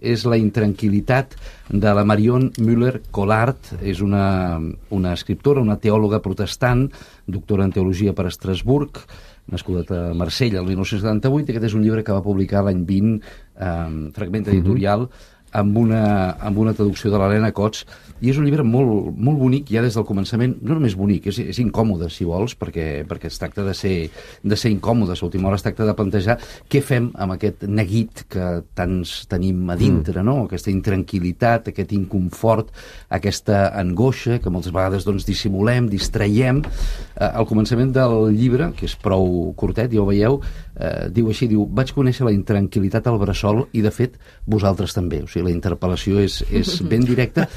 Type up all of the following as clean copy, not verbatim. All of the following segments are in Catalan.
és La intranquil·litat de la Marion Müller-Collard. És una escriptora, una teòloga protestant, doctora en teologia per Estrasburg, nascuda a Marsella el 1978, i aquest és un llibre que va publicar l'any 20, Fragment editorial, amb una traducció de l'Helena Cots, i és un llibre molt, molt bonic ja des del començament. No només bonic, és incòmode, si vols, perquè es tracta de ser incòmodes. A última hora es tracta de plantejar què fem amb aquest neguit que tants tenim a dintre, no? Aquesta intranquil·litat, aquest inconfort, aquesta angoixa que moltes vegades dissimulem, distraiem. Al començament del llibre, que és prou curtet, ja ho veieu, diu així, vaig conèixer la intranquil·litat al bressol i, de fet, vosaltres també. O sigui, la interpel·lació és ben directa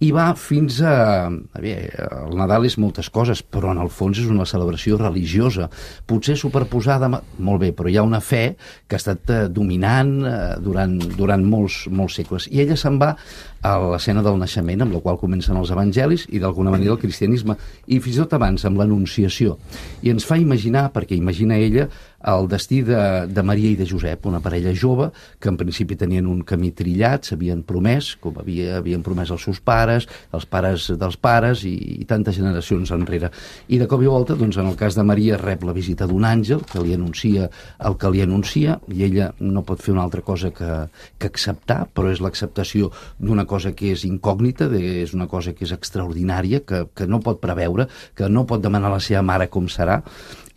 i va fins a... el Nadal és moltes coses, però en el fons és una celebració religiosa, potser superposada, molt bé, però hi ha una fe que ha estat dominant durant molts segles. I ella se'n va a l'escena del naixement, amb la qual comencen els evangelis i d'alguna manera el cristianisme, i fins i tot abans amb l'Anunciació. I ens fa imaginar, perquè imagina ella, el destí de Maria i de Josep, una parella jove que en principi tenien un camí trillat, s'havien promès, com havien promès els seus pares, els pares dels pares i tantes generacions enrere. I de cop i volta, en el cas de Maria, rep la visita d'un àngel que li anuncia el que li anuncia, i ella no pot fer una altra cosa que acceptar, però és l'acceptació d'una cosa que és incògnita, és una cosa que és extraordinària, que no pot preveure, que no pot demanar a la seva mare com serà.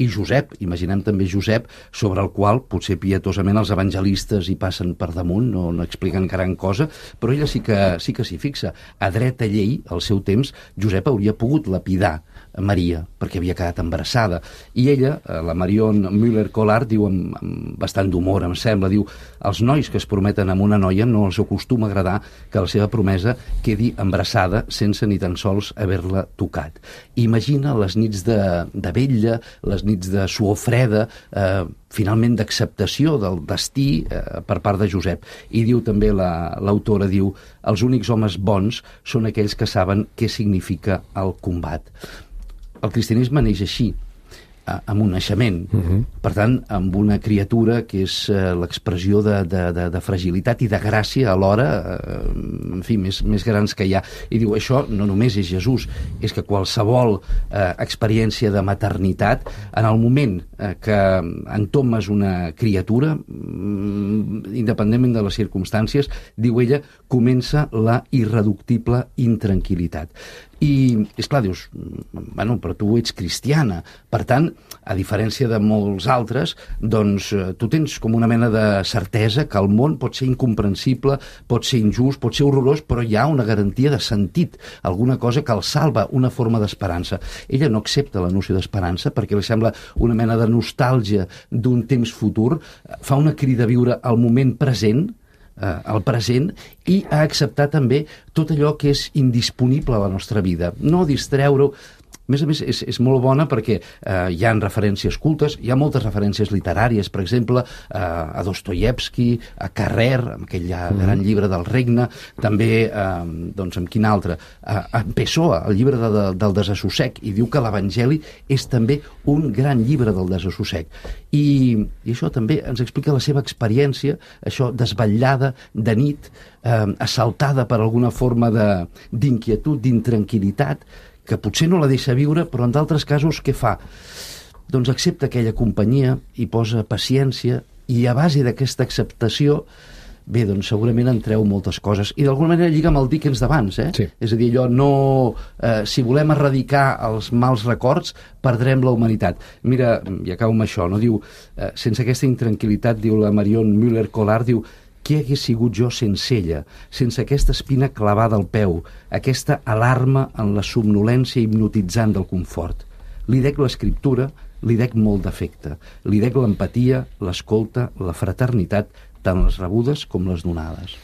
I Josep, imaginem també Josep, sobre el qual potser pietosament els evangelistes hi passen per damunt, no expliquen gran cosa, però ella sí que s'hi fixa. A dreta llei, al seu temps, Josep hauria pogut lapidar Maria, perquè havia quedat embarassada. I ella, la Marion Müller-Collard, diu amb bastant d'humor, em sembla, diu, els nois que es prometen amb una noia no els acostuma a agradar que la seva promesa quedi embarassada sense ni tan sols haver-la tocat. Imagina les nits de vetlla, les nits de suor freda, finalment d'acceptació del destí per part de Josep. I diu també l'autora, diu, els únics homes bons són aquells que saben què significa el combat. El cristianisme neix així, amb un naixement. Per tant, amb una criatura que és l'expressió de fragilitat i de gràcia alhora, en fi, més grans que hi ha. I diu, això no només és Jesús, és que qualsevol experiència de maternitat, en el moment que entomes una criatura, independentment de les circumstàncies, diu ella, comença la irreductible intranquil·litat. I, esclar, dius, bueno, però tu ets cristiana. Per tant, a diferència de molts altres, doncs tu tens com una mena de certesa que el món pot ser incomprensible, pot ser injust, pot ser horrorós, però hi ha una garantia de sentit, alguna cosa que el salva, una forma d'esperança. Ella no accepta la noció d'esperança perquè li sembla una mena de nostàlgia d'un temps futur, fa una crida a viure el moment present, el present, i a acceptar també tot allò que és indisponible a la nostra vida. No distreure-ho. A més, és molt bona perquè hi ha referències cultes, hi ha moltes referències literàries, per exemple, a Dostoievski, a Carrer, amb aquell gran llibre del Regne, també, amb quin altre? A Pessoa, el llibre del desassossec, i diu que l'Evangeli és també un gran llibre del desassossec. I això també ens explica la seva experiència, això desvetllada, de nit, assaltada per alguna forma d'inquietud, d'intranquil·litat, que potser no la deixa viure, però en d'altres casos què fa? Doncs accepta aquella companyia i posa paciència, i a base d'aquesta acceptació, bé, doncs segurament en treu moltes coses. I d'alguna manera lliga amb el Dickens d'abans, Sí. És a dir, allò, no, si volem erradicar els mals records, perdrem la humanitat. Mira, i acabo amb això, no? Diu, sense aquesta intranquil·litat, diu la Marion Müller-Collard, diu, què hagués sigut jo sense ella, sense aquesta espina clavada al peu, aquesta alarma en la somnolència hipnotitzant del confort? Li dec l'escriptura, li dec molt d'afecte, li dec l'empatia, l'escolta, la fraternitat, tant les rebudes com les donades.